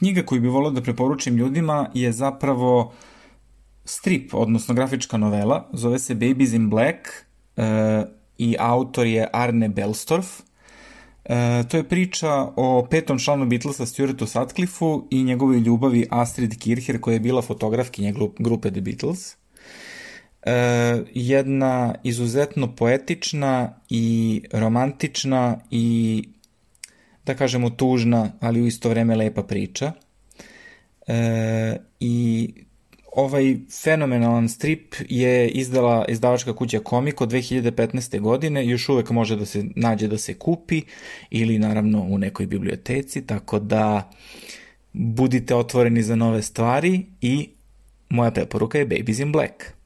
Knjiga koju bih volio da preporučim ljudima je zapravo strip, odnosno grafička novela, zove se Babies in Black i autor je Arne Belstorff. To je priča o petom članu Beatlesa, Stuartu Sutcliffeu i njegovoj ljubavi Astrid Kircher, koja je bila fotografkinja grupe The Beatles. Jedna izuzetno poetična i romantična i, da kažemo, tužna, ali u isto vreme lepa priča. I ovaj fenomenalan strip je izdala izdavačka kuća Comic od 2015. godine, još uvek može da se nađe, da se kupi ili naravno u nekoj biblioteci, tako da budite otvoreni za nove stvari i moja preporuka je Babies in Black.